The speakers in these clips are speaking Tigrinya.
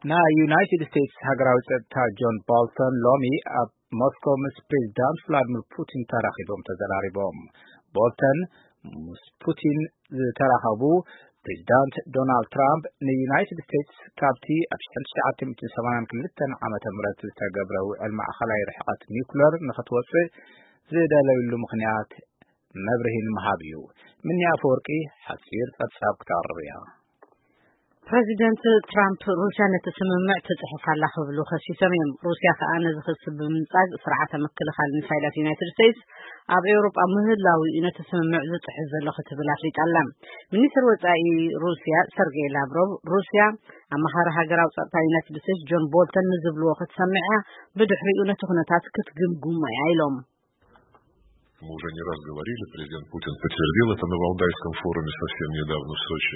ናይ ዩናይትድ ስቴትስ ሃገራዊ ጸጥታ ጆን ቦልተን ሎሚ ኣብ ሞስኮ ምስ ፕሬዚዳንት ቭላድሚር ፑቲን ተራኺቦም ተዘራሪቦም። ቦልተን ምስ ፑቲን ዝተራኸቡ፣ ፕሬዚዳንት ዶናልድ ትራምፕ ንዩናይትድ ስቴትስ ካብቲ ኣብ ሽሕን ትሽዓተ ሚእትን ሰማንያን ክልተን ዓመተ ምህረት ዝተገብረ ውዕል ማእኸላይ ርሕቐት ኒውክለር ንኽትወፅእ ዝደለይሉ ምኽንያት መብርሂ ንምሃብ እዩ። ምንያ ኣፈወርቂ ሓፂር ጸብጻብ ክተቕርብ እያ። ፕረዚደንት ትራምፕ ሩስያ ነቲ ስምምዕ ትጽሕፍ ኣላ ክብሉ ከሲሶም እዮም። ሩስያ ከኣ ነዚ ክሲ ብምንጻግ ስርዓተ ምክልኻል ሚሳይላት ዩናይትድ ስቴትስ ኣብ ኤውሮጳ ምህላው እዩ ነቲ ስምምዕ ዝጽሕፍ ዘሎ ክትብል ኣፍሊጣ ኣላ። ሚኒስትር ወጻኢ ሩስያ ሰርጌይ ላቭሮቭ፣ ሩስያ ኣማኻሪ ሃገራዊ ጸጥታ ዩናይትድ ስቴትስ ጆን ቦልተን ንዝብልዎ ክትሰምዕ እያ፣ ብድሕሪኡ ነቲ ኩነታት ክትግምግሞ እያ ኢሎም። Мы уже не раз говорили, президент Путин подтвердил это на Валдайском форуме совсем недавно в Сочи.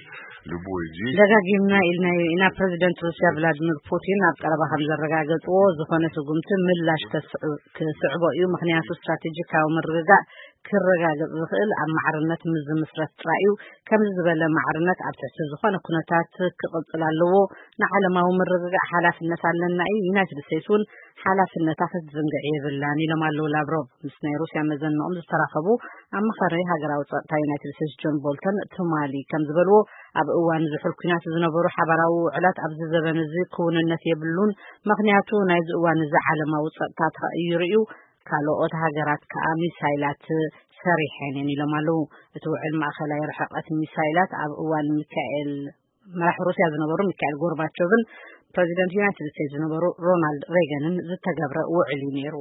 Любое действие ደጋጊምና ኢልናዮ ኢና። ፕረዚደንት ሩስያ ቭላድሚር ፑቲን ኣብ ቀረባ ከም ዘረጋገጽዎ፣ ዝኾነ ስጉምቲ ምላሽ ከስዕ- ክስዕቦ እዩ፣ ምኽንያቱ ስትራቴጂካዊ ምርግጋእ ክረጋገጽ ዝኽእል ኣብ ማዕርነት ምስ ዝምስረት ጥራይ እዩ። ከምዚ ዝበለ ማዕርነት ኣብ ትሕቲ ዝኾነ ኩነታት ክቕጽል ኣለዎ። ንዓለማዊ ምርግጋእ ሓላፍነት ኣለና እዩ። ዩናይትድ ስቴትስ እውን ሓላፍነታ ክትዝንግዕ የብላን ኢሎም ኣለዉ ላቭሮቭ። ምስ ናይ ሩስያ መዘንኦም ዝተራኸቡ ኣማኻሪ ሃገራዊ ጸጥታ ዩናይትድ ስቴትስ ጆን ቦልተን ትማሊ ከም ዝበልዎ፣ ኣብ እዋን ዝሑል ኲናት ዝነበሩ ሓባራዊ ውዕላት ኣብዚ ዘበን እዚ ክውንነት የብሉን፣ ምኽንያቱ ናይዚ እዋን እዚ ዓለማዊ ጸጥታ ተቐይሩ እዩ፣ ካልኦት ሃገራት ከኣ ሚሳይላት ሰሪሐን እየን ኢሎም ኣለዉ። እቲ ውዕል ማእኸላይ ርሕቐት ሚሳይላት ኣብ እዋን ሚካኤል መራሕ ሩስያ ዝነበሩ ሚካኤል ጎርባቾቭን ፕረዚደንት ዩናይትድ ስቴትስ ዝነበሩ ሮናልድ ሬገንን ዝተገብረ ውዕል እዩ ነይሩ።